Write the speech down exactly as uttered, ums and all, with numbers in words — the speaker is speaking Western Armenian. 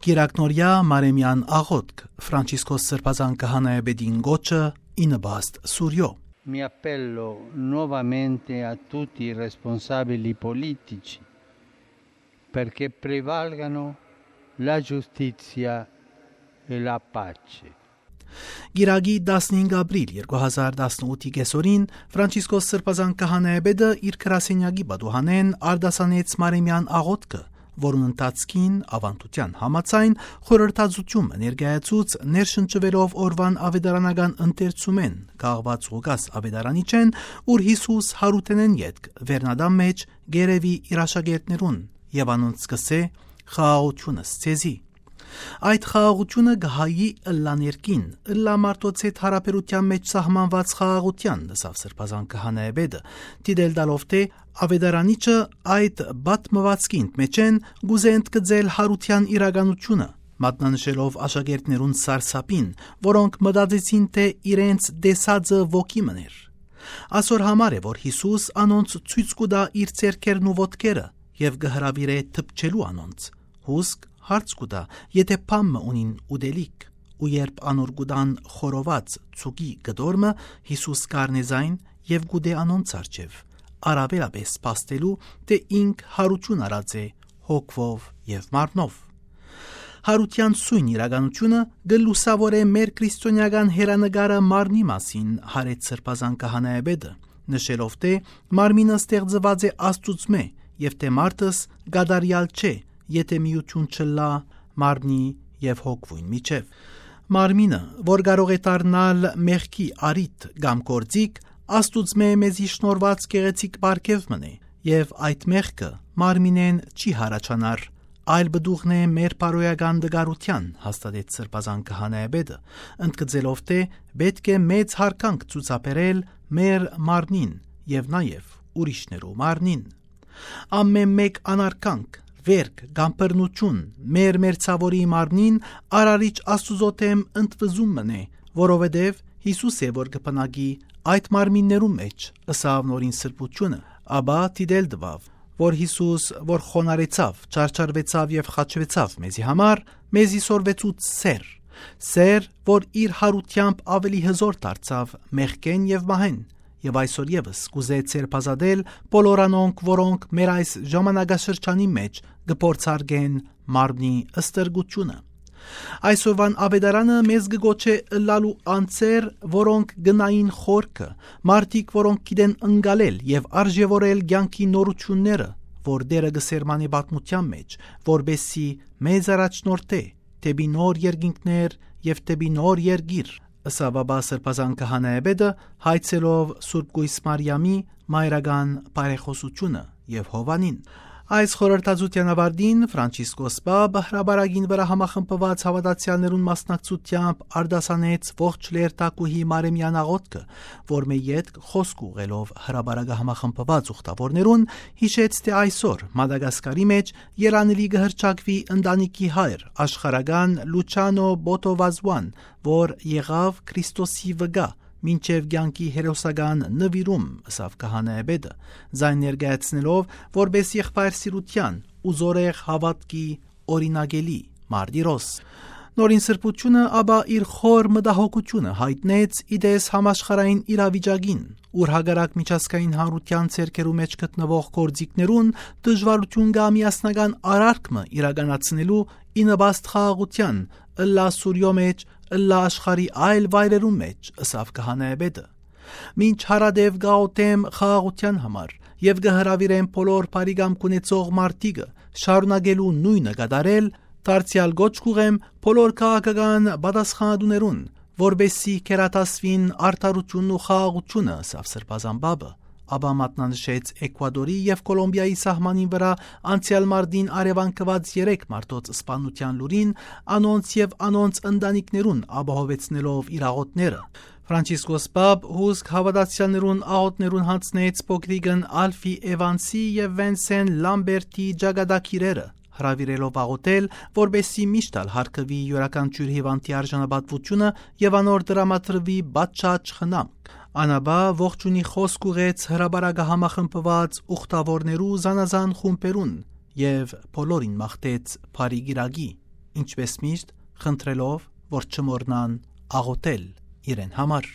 Իրակնորյա Մարեմեան աղօթք, Ֆրանցիսկոս Սրբազան Քահանայապետին կոչը, ի նպաստ Սուրիոյ։ Mi appello nuovamente a tutti i responsabili politici perché prevalgano la giustizia e la pace. Կիրակի տասնհինգ ապրիլ երկու հազար տասնութի կեսօրին Ֆրանցիսկոս Սրբազան Քահանայապետը իր գրասենյակի պատուհանէն արտասանեց Մարեմեան աղօթքը, որուն ընթացքին, աւանդութեան համաձայն, խորհրդածութիւն մը ներկայացուց, ներշնչուելով օրուան աւետարանական ընթերցումէն կախուած Ղուկաս աւետարանիչէն, ուր Յիսուս Յարութենէն ետք վերնատան մէջ կ'երեւի իր աշակերտներուն եւ անոնց կ'ըսէ. «Խաղաղութիւնս ձեզի»։ Այդ խաղաղութիւնը կը հայի ըլլա ներքին, ըլլա մարդոց հետ յարաբերութեան մէջ սահմանուած խաղաղութեան, ըսաւ Սրբազան Քահանայապետը, դիտել տալով թէ աւետարանիչը այդ պատմուածքին մէջէն կ'ուզէ ընդգծել Յարութեան իրականութիւնը, մատնանշելով աշակերտներուն սարսափին, որոնք մտածեցին թէ իրենց տեսածը ոգի մըն էր։ Ասոր համար է, որ Յիսուս անոնց ցոյց կու տայ իր ձեռքերն ու ոտքերը եւ կը հրաւիրէ դպչելու անոնց։ Հուսկ հարց կու տայ, եթէ բան մը ունին ուտելիք, ու երբ անոր կու տան խորոված ցուկի կտոր մը, Յիսուս կ'առնէ զայն եւ կ'ուտէ անոնց առջեւ, առաւելապէս փաստելու թէ ինք յարութիւն առած է հոգւով եւ մարմնով։ Յարութեան սոյն իրականութիւնը կը լուսաւորէ մեր քրիստոնէական հեռանկարը մարմնի մասին, յարեց Սրբազան Քահանայապետը, նշելով թէ մարմինը ստեղծուած է Աստուծմէ եւ թէ մարդս կատարեալ չէ, եթէ միութիւն չըլլայ մարմնի եւ հոգւոյն միջեւ։ Մարմինը, որ կարող է դառնալ մեղքի առիթ կամ գործիք, Աստուծմէ մեզի շնորհուած գեղեցիկ պարգեւ մըն է, եւ այդ մեղքը մարմինէն չի յառաջանար, այլ պտուղն է մեր բարոյական տկարութեան, հաստատեց Սրբազան Քահանայապետը, ընդգծելով թէ պէտք է մեծ յարգանք ցուցաբերել մեր մարմնին եւ նաեւ ուրիշներու մարմնին։ Ամէն մէկ անարգանք, վերք կամ բռնութիւն մեր մերձաւորի մարմնին Արարիչ Աստուծոյ դէմ ընդվզում մըն է, որովհետեւ Յիսուս է, որ կը բնակի այդ մարմիններուն մէջ, ըսաւ Նորին Սրբութիւնը, ապա դիտել տուաւ, որ Յիսուս, որ խոնարհեցաւ, չարչարուեցաւ եւ խաչուեցաւ մեզի համար, մեզի սորվեցուց սէր, սէր, որ իր յարութեամբ աւելի հզօր դարձաւ մեղքէն եւ մահէն, եւ այսօր եւս կ'ուզէ ձերբազատել բոլոր անոնք, որոնք մեր այս ժամանակաշրջանի մէջ կը փորձարկեն մարմնի ստրկութիւնը։ Այսօրուան աւետարանը մեզ կը կոչէ ըլլալու անձեր, որոնք կը նային խորքը, մարդիկ, որոնք գիտեն ընկալել եւ արժեւորել կեանքի նորութիւնները, որ Տէրը կը սերմանէ պատմութեան մէջ, որպէսզի մեզ առաջնորդէ դէպի նոր երկինքներ եւ դէպի նոր երկիր, ըսաւ ապա Սրբազան Քահանայապետը, հայցելով Սուրբ Կոյս Մարիամի մայրական բարեխօսութիւնը եւ Յովհաննին։ Այս խորհրդածութեան աւարտին Ֆրանցիսկոս Պապ հրապարակին վրայ համախմբուած հաւատացեալներուն մասնակցութեամբ արտասանեց ողջ լերթակուհի Մարեմեան աղօթքը, որ մէ ետք խօսք ուղղելով հրապարակը համախմբուած ուխտաւորներուն, յիշեց թէ այսօր Մադագասկարի մէջ երանելի կը հռչակուի ընտանիքի հայր, աշխարհական Լուչանո Բոտովազուան, որ եղաւ Քրիստոսի վկայ մինչեւ կեանքի հերոսական նուիրում, ըսաւ քահանայապետը, զայն ներկայացնելով որպէս եղբայր սիրութեան ու զորեղ հաւատքի օրինակելի մարտիրոս։ Նորին Սրբութիւնը ապա իր խոր մտահոգութիւնը յայտնեց ի տես համաշխարհային իրավիճակին, ուր հակառակ միջազգային հանրութեան ձեռքերու մէջ գտնուող գործիքներուն դժուարութիւն կայ միասնական արարք մը իրականացնելու, ի նպաստ խաղաղութեան, ըլլայ Սուրիոյ մէջ, ըլլայ աշխարհի այլ վայրերուն մէջ, ըսաւ քահանայապետը։ Մինչ յարատեւ կ'աղօթեմ խաղաղութեան համար եւ կը հրաւիրեմ բոլոր բարի կամք ունեցող մարդիկը շարունակելու նոյնը կատարել, դարձեալ կոչ կ'ուղղեմ բոլոր քաղաքական պատասխանատուներուն, որպէսզի գերադասուին արդարութիւնն ու խաղաղութիւնը, ըսաւ Սրբազան Պապը, ապա մատնանշեց Էկուադորի եւ Կոլոմբիայի սահմանին վրայ անցեալ մարտին առեւանգուած երեք մարդոց սպանութեան լուրին, անոնց եւ անոնց ընտանիքներուն ապահովեցնելով իր աղօթները։ Ֆրանցիսկոս Պապ հուսկ հաւատացեալներուն աղօթներուն յանձնեց փոքրիկն Ալֆի Էվանսի եւ Վենսեն Լամբերտի ճակատագիրերը, հրաւիրելով աղօթել, որպէսզի միշտ ալ յարգուի իւրաքանչիւր հիւանդի արժանապատուութիւնը եւ անոր տրամադրուի պատշաճ խնամք։ Ան ապա ողջունի խօսք ուղղեց հրապարակը համախմբուած ուխտաւորներու զանազան խումբերուն եւ բոլորին մաղթեց բարի կիրակի։ ինչպէս միշտ խնդրելով որ չմոռնան աղօթել իրեն համար։